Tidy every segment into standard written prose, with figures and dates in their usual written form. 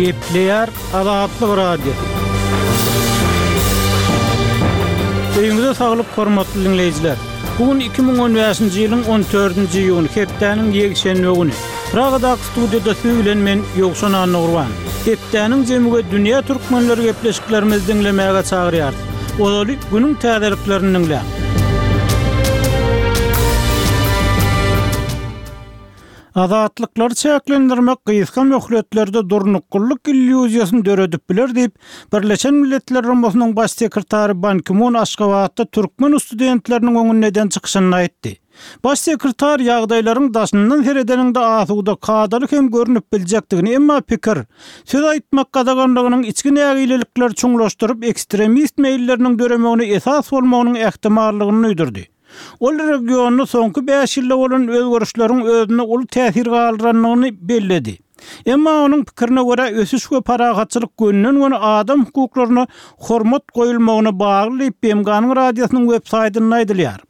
Gepleýär Azatlyk Radiosy. Öýüňize saglyk hormatly diňleýjiler. Bu gün 2015-nji ýylyň 14-nji iýuny, hepdäniň ýekşenbe güni. Pragadaky studiýada siz bilen men Ýowşan Annagurban. Hepdäniň jemi we dünýä türkmenleri gepleşiklerimizi diňlemäge çagyrýarys. Ozaly günüň täzeliklerini diňläň. Azatlyklary çäklendirmek gysga möhletlerde durnuklylyk illýuziýasyny döredip biler diýip, Birleşen Milletler Guramasynyň Baş sekretary Ban Ki-mun Aşgabatda türkmen studentleriniň öňünde eden çykyşynda aýtdy. Baş sekretar ýagdaýlaryň daşyndan seredeniňde asuda, kadaly hem görnüp biljekdigini, emma pikir, söz aýtmak gadaganlygynyň içki nägilelikleri çuňlaşdyryp, ekstremist meýilleriniň döremegine esas bolmagynyň ähtimallygyny duýdurdy. Ol regionda soňky bäş ýylda bolan özgerişleriň özünde uly täsir galdyrandygyny belledi. Emma onuň pikirine görä, ösüş we parahatçylyk gönden-göni adam hukuklaryna hormat goýulmagyna bagly diýip, BMG-niň radiosynyň web saýtynda aýdylýar.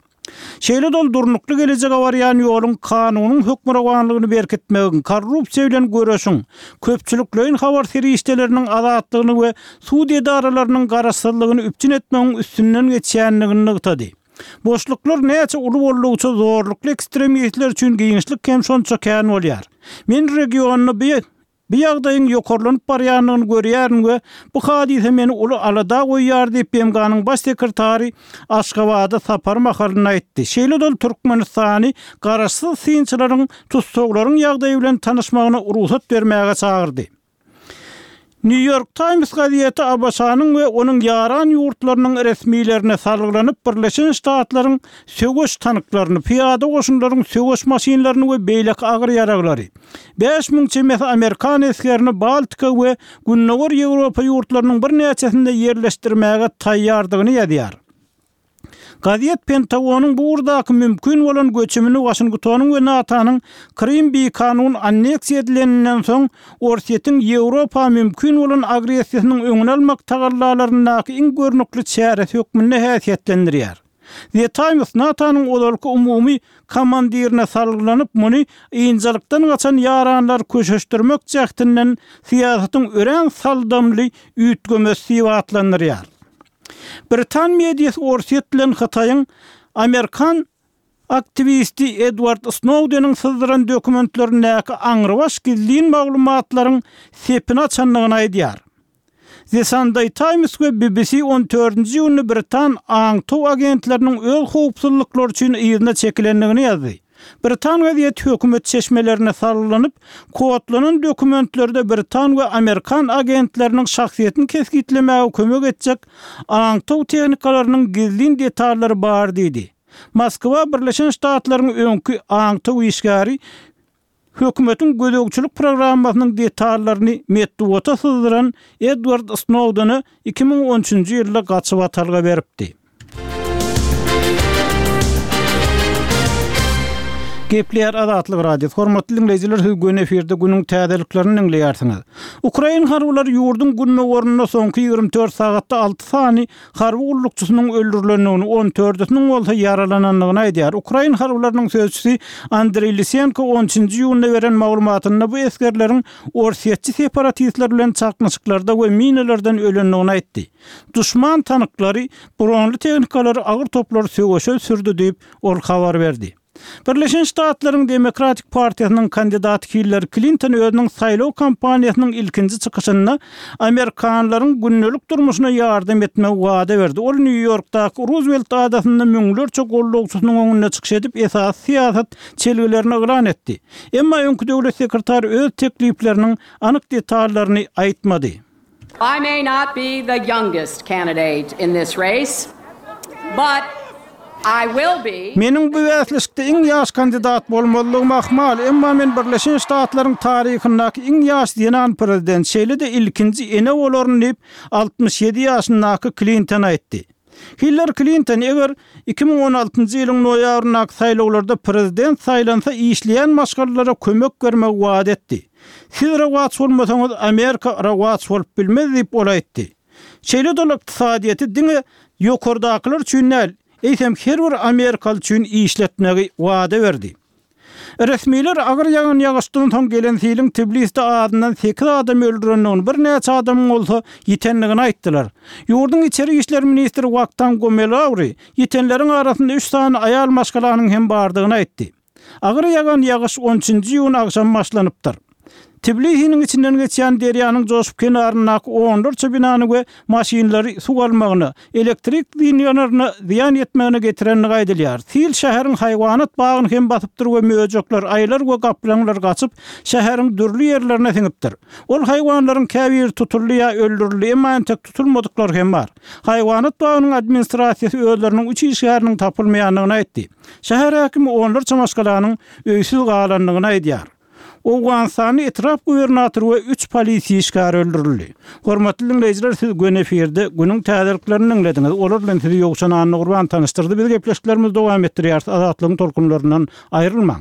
Şeýle-de ol durnukly gelejege barýan ýoluň kanunyň hökmürowanlygyny berkitmegiň, korrupsiýa bilen göreşiň, köpçülikleýin habar serişdeleriniň azatlygyny we sud edaralarynyň garaşsyzlygyny üpjün etmegiň üstünden geçýändigini nygtady. Boşluklar näçe uly boldugyça zorlukly ekstremistler üçin giňişlik hem şonça kän bolýar. Men regionda bu bu ýagdaýyň ýokarlanyp barýandygyny görýärin we bu hadysa meni uly alada goýýar diýip, BMG-niň Baş sekretary Aşgabada sapary mahalynda aýtdy. Şeýle-de ol Türkmenistany garaşsyz synçylaryň tussaglaryň ýagdaýy bilen tanyşmagyna rugsat bermäge çagyrdy. Nýu-Ýork Taýms gazeti ABŞ-nyň we onuň ýaran ýurtlarynyň resmilerine salgylanyp, Birleşen Ştatlaryň söweş tanklaryny, pyýada goşunlaryň söweş maşynlaryny we beýleki agyr ýaraglary, 5000 çemesi amerikan esgerini Baltika we Gündogar Ýewropa ýurtlarynyň birnäçesinde ýerleşdirmäge taýýardygyny ýazýar. Gazet Pentagonyň bu ugurdaky mümkin bolan göçümini Waşingtonyň we NATO-nyň Krym bikanun anneksiýa edileninden soň Orsýetiň Ýewropa mümkin bolan agressiýasynyň öňüni almak tagallalaryndaky iň görnükli çäresi hökmünde häsiýetlendirýär. The Times NATO-nyň ozalky umumy komandirine salgylanyp, muny ynjalykdan gaçan ýaranlary köşeşdirmek jähtinden syýasatyň örän saldamly üýtgemesi diýip atlandyrýar. Britan mediasy Orsýet bilen Hytaýyň amerikan aktiwisti Edward Snowdeniň syzdyran dokumentlerindäki aňrybaş gizlin maglumatlaryň sepini açandygyny aýdýar. The Sunday Times we BBC on dördünji iýunda britan aňtaw agentleriniň öz howpsuzlyklary üçin yzyna çekilendigini ýazdy. Britan gazeti hökümet çeşmelerine salgylanyp, kodlanan dokumentlerde britan we amerikan agentleriniň şahsyýetini kesgitlemäge kömek etjek aňtaw tehnikalarynyň gizlin detallary bar diýdi. Moskwa Birleşen Ştatlaryň öňki aňtaw işgäri hökümetiň gözegçilik programmasynyň detallaryny metbugata syzdyran Edward Snowdene 2013-nji ýylda gaçybatalga beripdi. Gepleýär Azatlyk Radiosy. Hormatly diňleýjiler, siz göni efirde günüň täzeliklerini diňleýärsiňiz. Ukrain harbylary ýurduň gündogarynda soňky 24 sagatda 6 sany harby gullukçysynyň öldürilendigini, on dördüsiniň bolsa ýaralanandygyny aýdýar. Ukrain harbylarynyň sözçüsi Andreý Lisenko on üçünji iýunda beren maglumatynda bu esgerleriň orsýetçi separatistler bilen çaknyşyklarda we minalardan ölendigini aýtdy. Duşman tanklary, bronly tehnikalary, agyr toplary söweşe sürdi diýip, ol habar berdi. Birleşen Ştatlaryň Demokratik partiýasynyň kandidaty Hillari Klinton özüniň saýlaw kampaniýasynyň ilkinji çykyşynda amerikanlaryň gündelik durmuşyna ýardam etmegi wada berdi. Ol Nýu-Ýorkdaky Ruzwelt adasynda müňlerçe goldawçysynyň öňünde çykyş edip, esasy syýasat çelgilerini yglan etdi. Emma öňki döwlet sekretary öz teklipleriniň anyk detallaryny aýtmady. I may not be the youngest candidate in this race, but I will be. Meniň bu bäsleşikde iň ýaş kandidat bolmazlygym ahmal, emma men Birleşen Ştatlaryň taryhyndaky iň ýaş zenan prezident, şeýle-de ilkinji ene bolaryn diýip, 67 ýaşyndaky Klinton aýtdy. Hillari Klinton eger 2016-njy ýylyň noýabryndaky saýlawlarda prezident saýlansa işleýän maşgalalara kömek bermegi wada etdi. Siz rowaç bolmasaňyz, Amerika rowaç bolup bilmez diýip, ol aýtdy. Şeýle-de ol ykdysadyýeti diňe ýokardakylar üçin däl, eýsem her bir amerikaly üçin işletmegi wada berdi. Resmiler agyr ýagan ýagyşdan soň gelen siliň Tbilisde azyndan sekiz adamy öldürendigini, birnäçe adamyň bolsa ýitendigini aýtdylar. Ýurduň içeri işler ministri Waktang Gomelauri ýitenleriň arasynda üç sany aýal maşgalanyň hem bardygyny aýtdy. Agyr ýagan ýagyş on üçünji iýun agşamy başlanypdyr. Tbilisiniň içinden geçýän derýanyň joşup kenaryndaky onlarça binany we maşynlary suw almagyna, elektrik liniýalaryna zyýan ýetmegine getirendigi aýdylýar. Sil şäheriň haýwanat bagyny hem basypdyr we möjekler, aýylar we gaplaňlar gaçyp, şäheriň dürli ýerlerine siňipdir. Ol haýwanlaryň käbiri tutuldy ýa öldürildi, emma entek tutulmadyklar hem bar. Haýwanat bagynyň administrasiýasy özleriniň üç işgäriniň tapylmaýandygyny aýtdy. Şäher häkimi onlarça maşgalanyň öýsüz galandygyny aýdýar. Owganystanda etrap gubernatory we üç polisiýa işgäri öldürildi. Hormatly diňleýjiler siz göni efirde günüň täzeliklerini diňlediňiz. Olar bilen sizi Ýowşan Annagurban tanyşdyrdy. Biz gepleşiklerimizi dowam etdirýäris. Azatlygyň tolkunlaryndan aýrylmaň.